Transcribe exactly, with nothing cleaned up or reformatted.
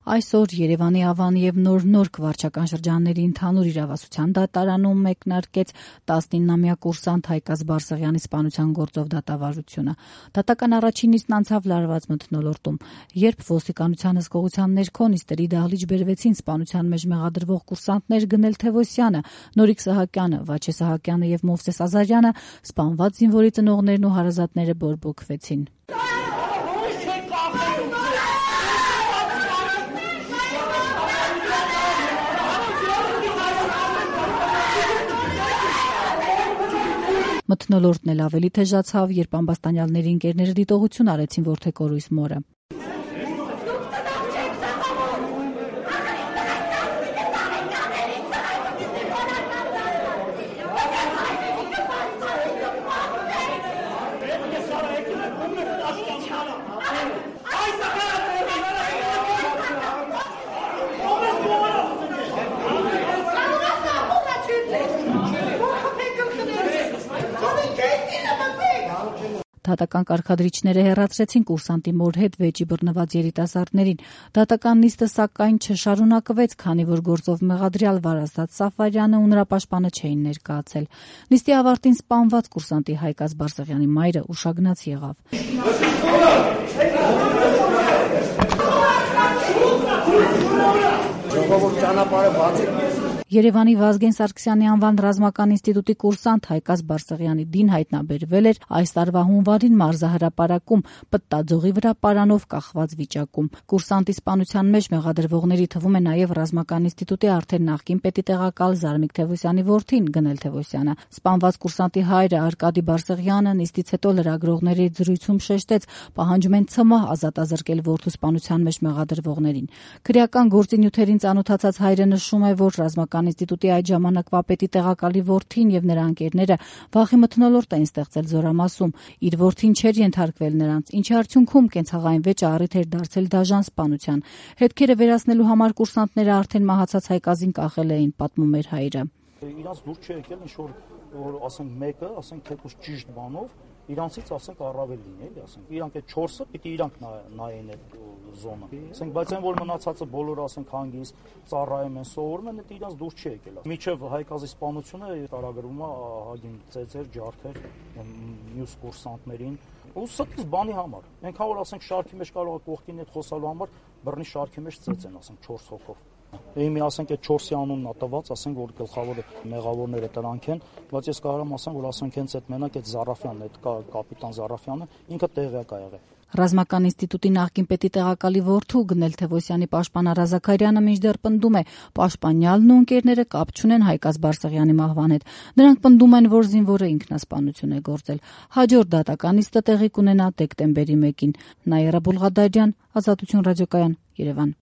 Այսօր Երևանի Ավան եւ Նոր-Նորք վարչական շրջանների ընդհանուր իրավասության դատարանում մեկնարկեց տասնինամյա կուրսանտ Հայկազ Բարսեղյանի սպանության գործով դատավարությունը։ Դատական առաջին նիստն անցավ լարված մթնոլորտում, երբ ոստիկանության հսկողության ներքո նիստերի դահլիճ բերվեցին սպանության մեջ մեղադրվող կուրսանտներ Գնել Թևոսյանը, Նորիկ Սահակյանը, Վաչե Սահակյանը եւ Մովսես Ազարյանը, սպանված զինվորի ծնողներն ու հարազատները բորբոքվեցին։ Մթնոլորտն էլ ավելի թեժացավ, երբ ամբաստանյալների ընկերները դիտողություն արեցին որդեկորույս մորը։ Դատական կարգադրիչները հեռացրեցին կուրսանտի մոր հետ վեճի բռնված երիտասարդներին։ Դատական նիստը սակայն չշարունակվեց, քանի որ գործով մեղադրյալ Վարազդատ Սաֆարյանը ու նրա պաշտպանը չէին ներկայացել։ Նիստի ավարտին սպանված կուրսանտի Հայկազ Բարսեղյանի մայրը ուշագնաց եղավ։ Երևանի Վազգեն Սարգսյանի անվան ռազմական ինստիտուտի կուրսանտ Հայկազ Բարսեղյանի դին հայտնաբերվել էր այս տարվա հունվարին մարզահրապարակում պտտաձողի վրա պարանով կախված վիճակում։ Կուրսանտի սպանության մեջ մեղադրվողների թվում է նաև ռազմական ինստիտուտի արդեն նախկին պետի տեղակալ Զարմիկ Թևոսյանի որդին Գնել Թևոսյանը։ Սպանված կուրսանտի հայրը Արկադի Բարսեղյանը նիստից հետո լրագրողների զրույցում շեշտեց, պահանջում են ՑՄՀ ազատազրկել որդու սպանության մեջ մեղադրվողներին։ Քրեական գործի նյութերին ծանոթացած հայրը նշում է, որ ռազմական ինստիտուտի այդ ժամանակվա պետի տեղակալի որդին եւ նրա ընկերները վախի մթնոլորտ էին ստեղծել Զորամասում։ Իր որդին չէր ենթարկվել նրանց, ինչի արդյունքում կենցաղային վեճը առիթ էր դարձել դաժան սպանության։ Հետքերը վերացնելու համար կուրսանտները արդեն մահացած Հայկազին կախել էին, պատմում էր հայրը։ Իրանց դուր չի եկել ինչ որ որ ասենք մեկը, ասենք թեկուզ ճիշտ բանով իրանցից ասենք առավել լինի, էլի ասենք իրանք այդ չորսը պիտի իրանք նայեն այդ զոնը։ Ասենք բայց այն որ մնացածը բոլորը ասենք հանգիստ ծառայում են, սովորում են, դա իրանց դուր չի եկել։ Միջև Հայկազի սպանությունը տարագրվում է ահագին ծեծեր, ջարդեր մյուս կուրսանտներին ու ստից բանի համար։ Այնքան որ ասենք շարքի մեջ կարող է կողքին այդ խոսալու համար բռնի շարքի մեջ ծեծեն, ասենք չորս հոգով։ Իմի ասենք այդ չորսի անունն է տված, ասենք որ գլխավոր մեղավորները դրանք են, բայց ես կարող եմ ասեմ, որ ասենք հենց այդ մենակ այդ Զարաֆյանն, այդ կապիտան Զարաֆյանը ինքը տեղյակ ա եղել։ Ռազմական ինստիտուտի նախկին պետի տեղակալի որդու Գնել Թևոսյանի պաշտպան Արա Զաքարյանը մինչդեռ պնդում է, պաշտպանյալն ու ընկերները կապ չունեն Հայկազ Բարսեղյանի մահվան հետ։ Նրանք պնդում են, որ զինվորը ինքնասպանություն է գործել։ Հաջորդ դատական նիստը տեղի կունենա դեկտեմբերի մեկին։ Նաիրա Բուլղադարյան, Ազատություն ռադիոկայան, Երևան։